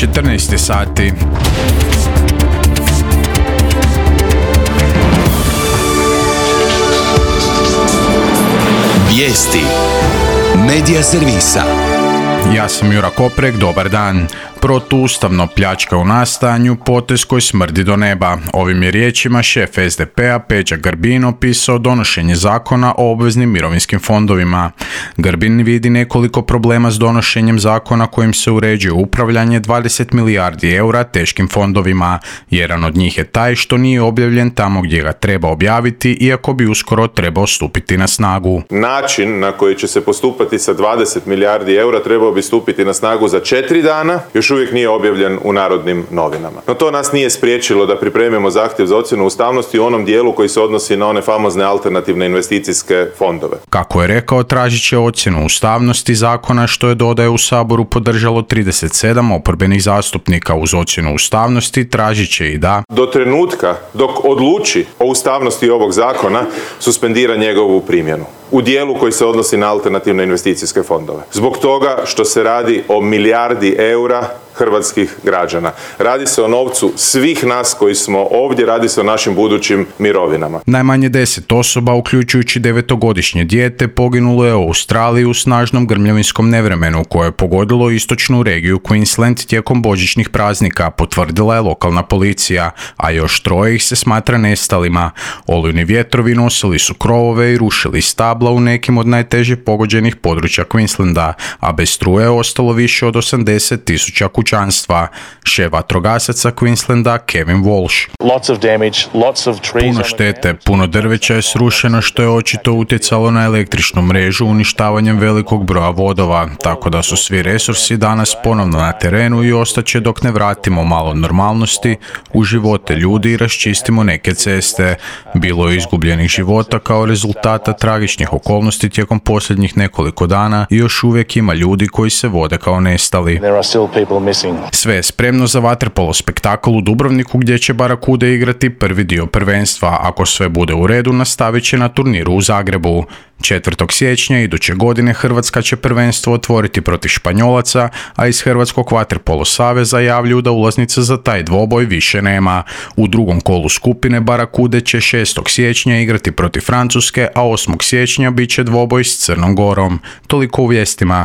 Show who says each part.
Speaker 1: 14 sati.
Speaker 2: Vijesti Medija servisa.
Speaker 1: Ja sam Jura Koprek, dobar dan. Protuustavno pljačka u nastajanju, potez koji smrdi do neba. Ovim je riječima šef SDP-a Peđa Grbin opisao donošenje zakona o obveznim mirovinskim fondovima. Grbin vidi nekoliko problema s donošenjem zakona kojim se uređuje upravljanje 20 milijardi eura teškim fondovima. Jedan od njih je taj što nije objavljen tamo gdje ga treba objaviti, iako bi uskoro trebao stupiti na snagu.
Speaker 3: Način na koji će se postupati sa 20 milijardi eura trebao bi stupiti na snagu za 4 dana, još uvijek nije objavljen u Narodnim novinama. No to nas nije spriječilo da pripremimo zahtjev za ocjenu ustavnosti u onom dijelu koji se odnosi na one famozne alternativne investicijske fondove.
Speaker 1: Kako je rekao, tražit će ocjenu ustavnosti zakona, što je, dodaje, u Saboru podržalo 37 oporbenih zastupnika. Uz ocjenu ustavnosti tražit će i da
Speaker 3: do trenutka dok odluči o ustavnosti ovog zakona suspendira njegovu primjenu u dijelu koji se odnosi na alternativne investicijske fondove. Zbog toga što se radi o milijardi eura hrvatskih građana. Radi se o novcu svih nas koji smo ovdje, radi se o našim budućim mirovinama.
Speaker 1: Najmanje 10 osoba, uključujući 9-godišnje dijete, poginulo je u Australiji u snažnom grmljavinskom nevremenu koje je pogodilo istočnu regiju Queensland tijekom božićnih praznika, potvrdila je lokalna policija, a još 3 ih se smatra nestalima. Olujni vjetrovi nosili su krovove i rušili stabla u nekim od najteže pogođenih područja Queenslanda, a bez struje je ostalo više od 80,000 kućanstva. Šef vatrogasaca Queenslanda Kevin Walsh. Puno štete, puno drveća je srušeno, što je očito utjecalo na električnu mrežu uništavanjem velikog broja vodova, tako da su svi resursi danas ponovno na terenu i ostaće dok ne vratimo malo normalnosti u živote ljudi i raščistimo neke ceste. Bilo je izgubljenih života kao rezultata tragičnih okolnosti tijekom posljednjih nekoliko dana i još uvijek ima ljudi koji se vode kao nestali. Sve je spremno za vaterpolo spektakl u Dubrovniku gdje će Barakude igrati prvi dio prvenstva. Ako sve bude u redu, nastavit će na turniru u Zagrebu. 4. siječnja iduće godine Hrvatska će prvenstvo otvoriti protiv Španjolaca, a iz Hrvatskog vaterpolo saveza javljuju da ulaznica za taj dvoboj više nema. U drugom kolu skupine Barakude će 6. siječnja igrati protiv Francuske, a 8. siječnja bit će dvoboj s Crnom Gorom. Toliko u vijestima.